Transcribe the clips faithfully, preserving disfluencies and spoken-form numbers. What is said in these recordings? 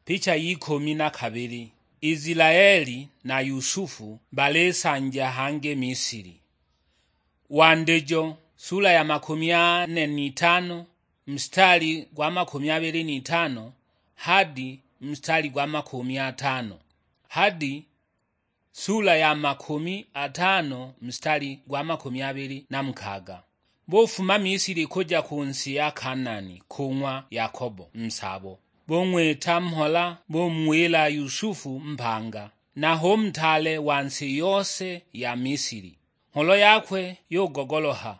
Picha y'ikumi na kabili. Isilaeli na Yusufu balisanja hangi Misili. Wandijo, sula ya makumi ane n'itano, mstari gwa makumi abili n'itano hadi mstari gwa makumi atano, hadi sula ya makumi atano, mstari gwa makumi abili na mukaga. Bufuma Misili kuja ku nsi ya Kanaani, ku ng'wa Yakobo nsabo. Bung'wita mhola, bumuwila Yusufu mpanga, na hu mtaale wa nsi yose ya Misili. Ngholo yakwe yugogoloha,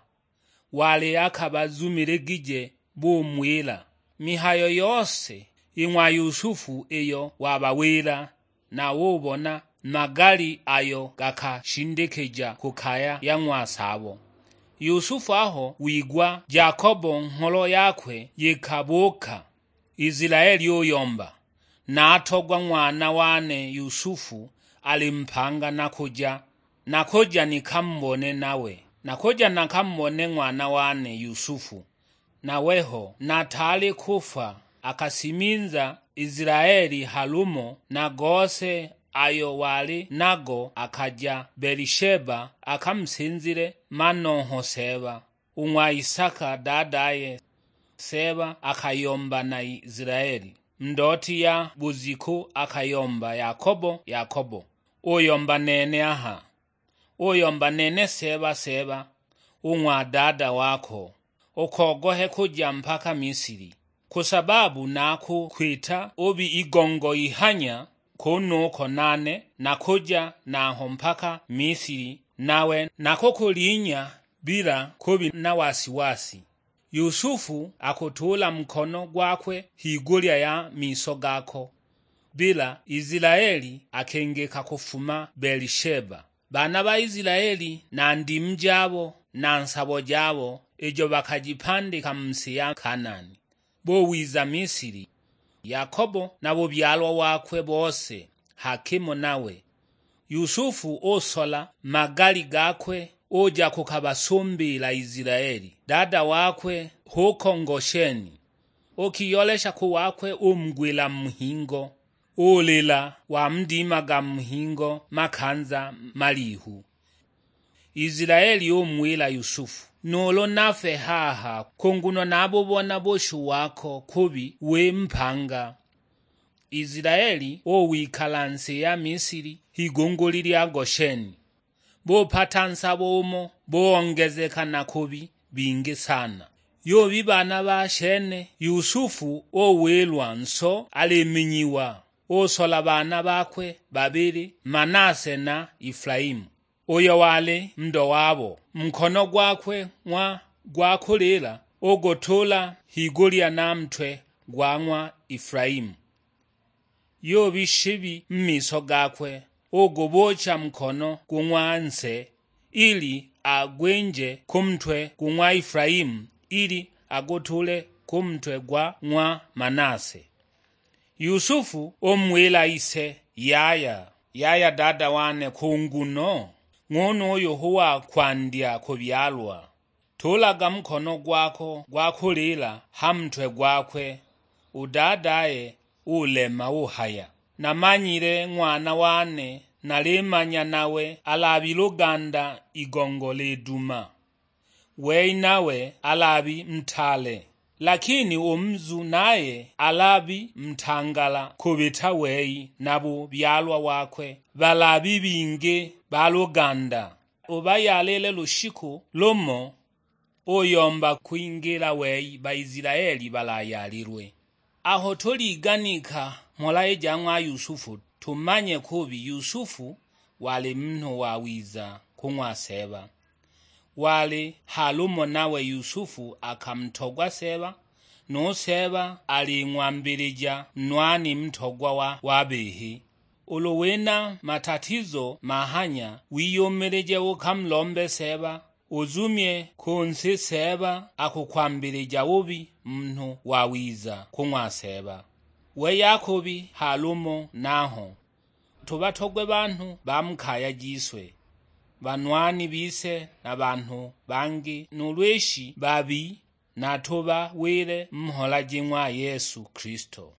wali akabazumiligije, bumuwila mihayo yose i ng'wa Yusufu iyo wabawila, na ubona magali ayo gakashindikija ku kaya ya ng'wa Sabo. Yusufu aho wigwa Jakobo ngholo yakwe yikabuuka, Isilaeli uyomba, "Natogwa ng'wana wane Yusufu ali mpanga, nakuja, nakuja nikamubone nawe, nakuja nakamubone ng'wana wane Yusufu." Na weho nataali kufwa, akasiminza Isilaeli ha lumo na gose ayo wali nago, akaja Belisheba, akamusinzile manongho Seeba, u ng'wa Isaka dadaye. Seeba akayomba na Isilaeli. Ndooti ya buziku akayomba, "Yakobo, Yakobo!" Uyomba, "Nene aha." Uyomba, "Nene Seeba, Seeba, u ng'wa dada wako, ukogohe kuja mpaka Misili, ku sababu nakukwita ubi igongo ihanya kunuko nane nakuja naho mpaka Misili, nawe nakukulinya bila kubi na wasiwasi." Yusufu akutuula nkono gwakwe higulya ya miso gako, bila Isilaeli akengeka kufuma Belisheba. Baana ba Isilaeli na ndimu jabo na nsabo jabo ijo bakajipandika mu si ya Kanaani, buwiza Misili. Yakobo na bubyalwa wakwe bose hakimo nawe. Yusufu usola magali gakwe, uja kukabasumbiila Isilaeli. Dada wakwe huko Ngosheni, ukiyolesha ku wakwe umgwila mu hingo, ulila wamudimaga mu hingo makanza malihu. Isilaeli umuwila Yusufu, "Nuulu nafe haha, ku nguno nabubona bushu wako kubi wi mpanga." Isilaeli uwikala nsi ya Misili, higunguli lya Gosheni. Bupata nsabo umo, buongezeka na kubi bingi sana. Yubi baana ba shene, Yusufu uwilwa nso aliminyiwa, usola baana bakwe babili, Manase na Efulaimu. Uyo wali ndo wabo, nkono gwakwe ng'wa gwa kulila ugutuula higulya na ntwe gwa ng'wa Efulaimu. Yubi shibi mu miso gakwe, ugubuucha nkono gu ng'wa nse, ili agwinje ku ntwe gu ng'wa Efulaimu, ili agutuule ku ntwe gwa ng'wa Manase. Yusufu umuwila ise, "Yaya, yaya dada wane, ku nguno ng'unuyu hu wa kwandya kubyalwa. Tuulaga nkono gwako gwa kulila ha ntwe gwakwe." U dadaye ulema uhaya, "Namanyile ng'wana wane, nalimanya nawe alabi luganda igongo liduma. Wei nawe alabi ntaale, lakini u muzu naye alabi ntangala kubita wei, na bubyalwa wakwe balabi bingi ba luganda. Ubayalile lushiku lumo, uyomba kwingila wei Baisilaeli balayalilwe." Aho tuliganika mhola i ja ng'wa Yusufu, tumanye kubi Yusufu wali munhu wawiza ku ng'wa Seeba. Wali halumo nawe Yusufu akamutogwa Seeba, nu Seeba aling'wambilija nwani mutogwa wa, wa bihi. Ulu wina matatizo mahanya, wiyumilije ukamulombe Seeba, uzumye ku nsi Seeba akukwambilija ubi munhu wawiza ku ng'wa Seeba. Wei akubi halumo naho. Tubatogwe banhu ba mu kaya jiswe, banwani bise na banhu bangi, nuulu ishi babi, na tubawile mhola ji ng'wa Yesu Kristo.